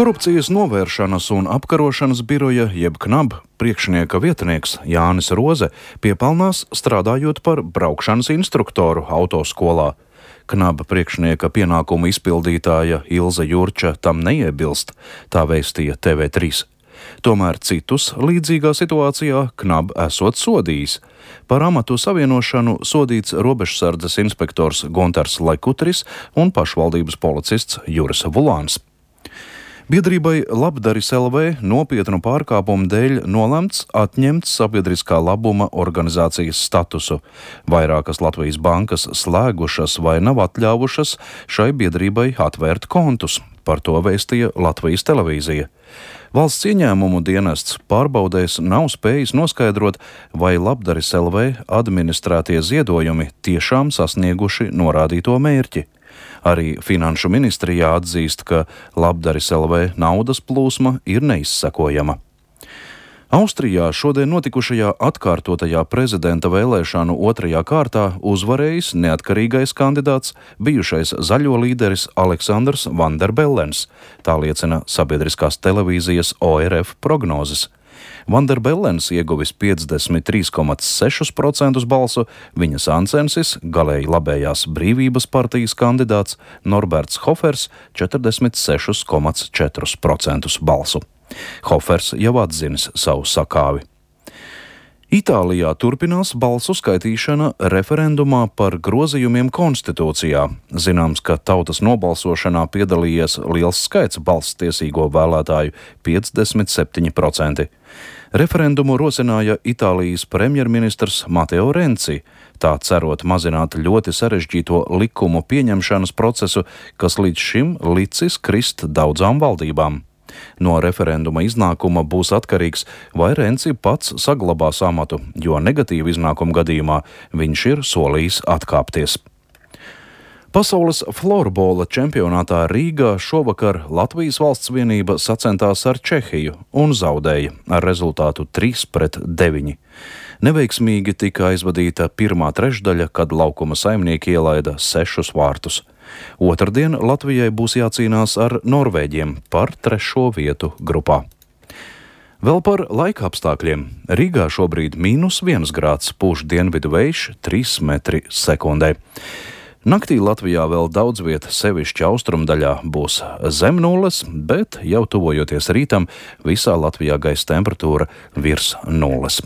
Korupcijas novēršanas un apkarošanas biroja jeb KNAB priekšnieka vietnieks Jānis Roze piepelnās strādājot par braukšanas instruktoru autoskolā. KNAB priekšnieka pienākumu izpildītāja Ilze Jurča tam neiebilst, tā vēstīja TV3. Tomēr citus līdzīgā situācijā KNAB esot sodījis. Par amatu savienošanu sodīts robežsardzes inspektors Guntars Lekutris un pašvaldības policists Juris Vulāns. Biedrībai Labdaris LV nopietnu pārkāpumu dēļ nolemts atņemt sabiedriskā labuma organizācijas statusu. Vairākas Latvijas bankas slēgušas vai nav atļāvušas šai biedrībai atvērt kontus. Par to vēstīja Latvijas televīzija. Valsts ieņēmumu dienests pārbaudēs nav spējis noskaidrot, vai Labdaris LV administrētie ziedojumi tiešām sasnieguši norādīto mērķi. Arī Finanšu ministrijā atzīst, ka Labdaris LV naudas plūsma ir neizsekojama. Austrijā šodien notikušajā atkārtotajā prezidenta vēlēšanu otrajā kārtā uzvarējis neatkarīgais kandidāts, bijušais zaļo līderis Aleksandrs Van der Bellens, tā liecina sabiedriskās televīzijas ORF prognozes. Van der Bellens ieguvis 53,6% balsu, viņa sāncensis, galēji labējās Brīvības partijas kandidāts Norberts Hofers 46,4% balsu. Hofers jau atzinis savu sakāvi. Itālijā turpinās balsu skaitīšana referendumā par grozījumiem konstitūcijā. Zināms, ka tautas nobalsošanā piedalījies liels skaits balsstiesīgo vēlētāju – 57%. Referendumu rosināja Itālijas premjerministrs Mateo Renci, tā cerot mazināt ļoti sarežģīto likumu pieņemšanas procesu, kas līdz šim licis krist daudzām valdībām. No referenduma iznākuma būs atkarīgs, vai Renci pats saglabās amatu, jo negatīva iznākuma gadījumā viņš ir solījis atkāpties. Pasaules florbola čempionātā Rīgā šovakar Latvijas valsts vienība sacentās ar Čehiju un zaudēja ar rezultātu 3-9. Neveiksmīgi tika aizvadīta pirmā trešdaļa, kad laukuma saimnieki ielaida 6 vārtus. Otrdien Latvijai būs jācīnās ar Norvēģiem par 3. vietu grupā. Vēl par laika apstākļiem. Rīgā šobrīd -1 grāds, pūš dienvidu vējš 3 metri sekundē. Naktī Latvijā vēl daudz vieta, sevišķi austrumdaļā, būs zem nulles, bet jau tuvojoties rītam, visā Latvijā gaisa temperatūra virs nulles.